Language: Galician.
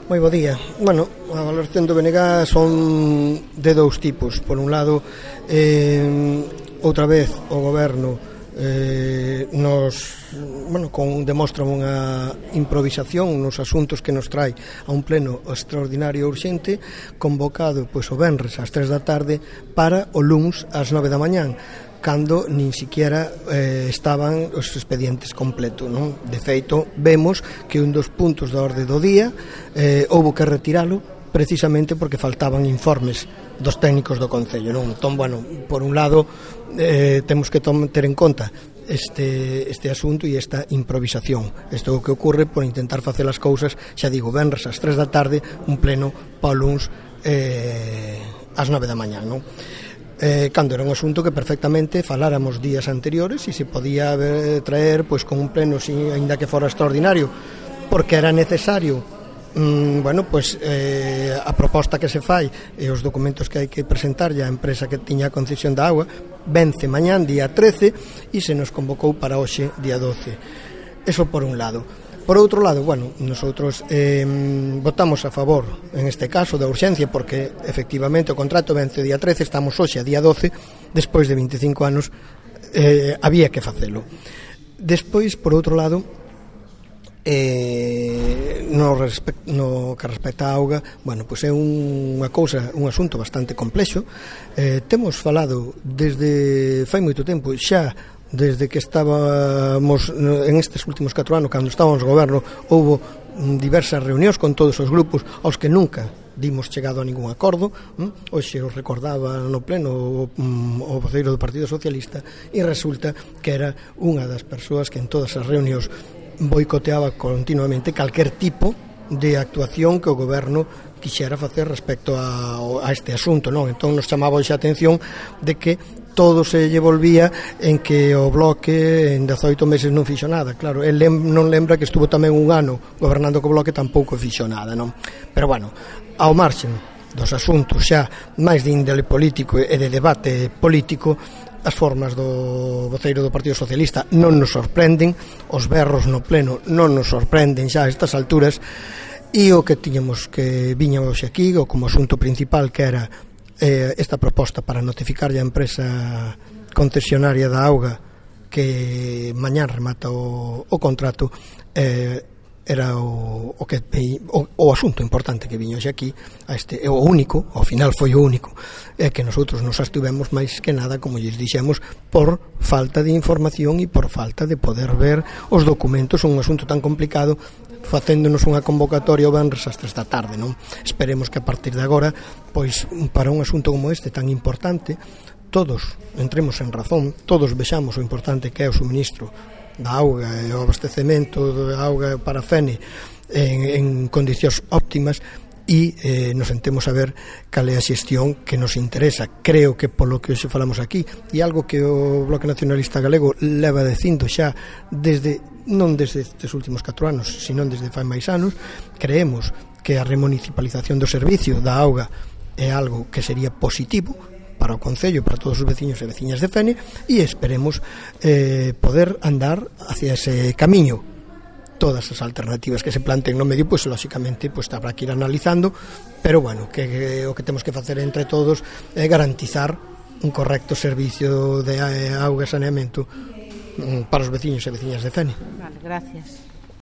Moi bo día. Bueno, a valoración do BNG son de dous tipos. Por un lado, outra vez o goberno demostra unha improvisación nos asuntos que nos trae a un pleno extraordinario urxente convocado o venres ás 3 da tarde para o luns ás 9 da mañán, cando nin siquiera estaban os expedientes completos, non? De feito, vemos que un dos puntos da orde do día houbo que retiralo precisamente porque faltaban informes dos técnicos do Concello, non? Entón, bueno, por un lado temos que ter en conta este asunto e esta improvisación. Isto é o que ocorre por intentar facer as cousas, xa digo, venres ás 3 da tarde, un pleno para o luns ás 9 da mañán, non? Cando era un asunto que perfectamente faláramos días anteriores e se podía traer con un pleno, ainda que fora extraordinario, porque era necesario a proposta que se fai e os documentos que hai que presentar a empresa que tiña a concesión da auga vence mañán día 13 e se nos convocou para hoxe día 12. Eso por un lado. Por outro lado, nosotros votamos a favor, en este caso, da urxencia, porque, efectivamente, o contrato vence o día 13, estamos hoxe a día 12, despois de 25 anos, había que facelo. Despois, por outro lado, no que respecta á auga, é unha cousa, un asunto bastante complexo. Temos falado desde fai moito tempo, xa desde que estábamos en estes últimos 4 anos, cando estábamos no goberno, houbo diversas reunións con todos os grupos aos que nunca dimos chegado a ningún acordo. Hoxe os recordaba no pleno o voceiro do Partido Socialista e resulta que era unha das persoas que en todas as reunións boicoteaba continuamente calquer tipo de actuación que o goberno quixera facer respecto a este asunto, non? Entón nos chamaba hoxe a atención de que todo se lle volvía en que o Bloque en 18 meses non fixo nada. Claro, el non lembra que estuvo tamén un ano gobernando co Bloque, tampouco fixo nada, non? Pero bueno, ao marxen dos asuntos xa máis de índole político e de debate político, as formas do voceiro do Partido Socialista non nos sorprenden, os berros no pleno non nos sorprenden xa a estas alturas, e o que viña hoxe aquí, o como asunto principal, que era esta proposta para notificar a empresa concesionaria da auga que mañán remata o contrato, era o asunto importante que viño hoxe aquí, o único, ao final foi o único, que nosotros nos abstivemos máis que nada, como lles dixemos, por falta de información e por falta de poder ver os documentos. Un asunto tan complicado, facéndonos unha convocatoria o venres ás 3 da tarde, non? Esperemos que a partir de agora, para un asunto como este tan importante, todos entremos en razón, todos vexamos o importante que é o suministro da auga e o abastecemento da auga para Fene en condicións óptimas, e nos sentemos a ver cal é a xestión que nos interesa. Creo que polo que hoxe falamos aquí, e algo que o Bloque Nacionalista Galego leva dicindo xa non desde estes últimos 4 anos, sino desde fai máis anos, creemos que a remunicipalización do servicio da auga é algo que sería positivo para o Concello, para todos os veciños e veciñas de Fene, e esperemos poder andar hacia ese camiño. Todas as alternativas que se planteen no medio, lóxicamente, habrá que ir analizando, pero que o que temos que facer entre todos é garantizar un correcto servicio de auga e saneamento para os veciños e veciñas de Fene. Vale, gracias.